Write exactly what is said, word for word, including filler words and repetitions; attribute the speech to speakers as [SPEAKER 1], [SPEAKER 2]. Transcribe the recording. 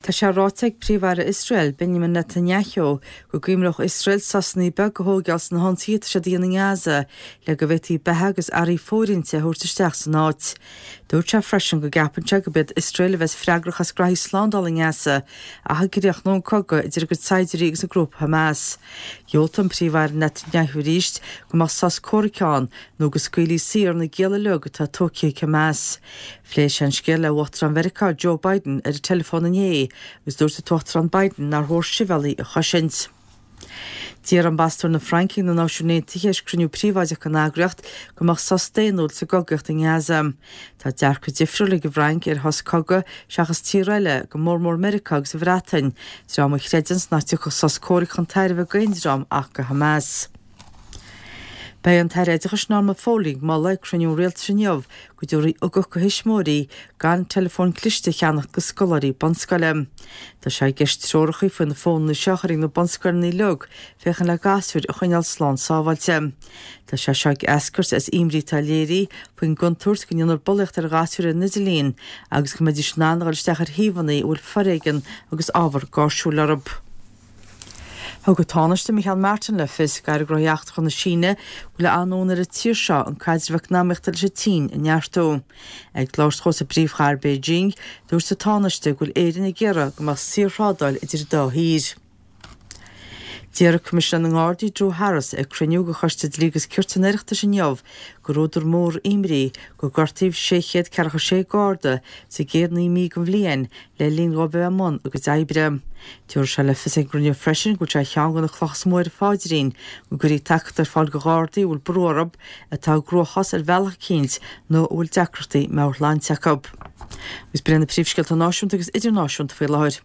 [SPEAKER 1] Tá sé ráite ag Príomh-Aire Iosrael, Benjamin Netanyahu, go gcuimhneodh Iosrael sosanna beaga a thógáil sna hionsaithe atá siad a dhéanamh i nGaza le go bhféadfaí beatha agus earraí fóirithinte a thabhairt isteach san áit. Dúirt sé freisin go gceapann sé gurb iad Iosrael a bheas freagrach as graithí slándála i nGaza ach a gcríochnódh an cogadh idir a gcuid saighdiúirí agus an grúpa Hamas. Dhiúltaigh an Príomh-Aire Netanyahu arís go mbeadh sos comhraic ann nó go scaoilfí saor na gialla uilig atá tógtha ag Hamas. Phléigh sé an scéal le Uachtarán Mheiriceá Joe Biden ar an teileafón inné agus dúirt an tUachtarán Biden nár chóir sibhialaigh a chosaint. D'iarr ambasadóir na Fraince ag na Náisiúin Aontaithe tar éis cruinniú príobháideach den eagraíocht go mbeadh sos daonnúil sa gcogaíocht i nGaza. Tá dearcadh difriúil ag an bhFrainc ar shos cogaidh seachas tíortha eile, go mór mór Meiriceá agus an Bhreatain, dream a chreideanns nach dtiocfadh sos comhraic chun tairbhe d'aon dream ach do Hamas. Beidh an tAire Oideachais Norma Foley ag moladh ag cruinniú an rialtais inniu go dtabharfaí ugach do thuismitheoirí gan teileafóin chliste a cheannach do scoláirí bunscoile. Tá sé i gceist treoracha faoi na fónanna seo a chur ag na bunscoileanna uilig féachaint le gasúir a choinneáil slán sábháilte. Tá sé seo ag eascairt as imní atá léirithe faoin gcontúirt go ndéanfar bulaíocht ar ghasúir ar an idirlíon agus go mbeidís in ann a dhul isteach ar shuíomhanna a bhfuil foréigean agus ábhar gáirsiúil orthu. Thug an Tánaiste Micheál Martin le fios ag Aire Gnóthaí Eachtracha na Síne go bhfuil an-fhonn ar an tír seo an caidreamh eacnamaíochta leis an tSín a neartú. Ag labhairt dó sa bpríomhchathair Beijing, dúirt an Tánaiste go bhfuil Éirinn ag iarraidh go mbeadh saorthrádáil idir an dá thír. D'iarr Coimisinéir na nGardaí Drew Harris ag cruinniú de Choiste Dlí agus Cirt an Oireachtais inniu gur údar mór imní gur gortaíodh sé chéad ceathracha sé Garda sa gcéad naoi mí den bhliain le linn dóibh a bheith i mbun a gcuid oibre. Tabharfaidh sé le fios ag an gcruinniú freisin go bhfuil sé ar cheann de na clocha is mó ar a phaidrín go gcuirfí tacaíocht ar fáil do Ghardaí a bhfuil brú orthu, atá i gcruachás ar bhealach eicínt nó a bhfuil deacrachtaí meabhairshláinte acu. Agus b'in na príomhscéalta náisiúnta agus idirnáisiúnta faoi láthair.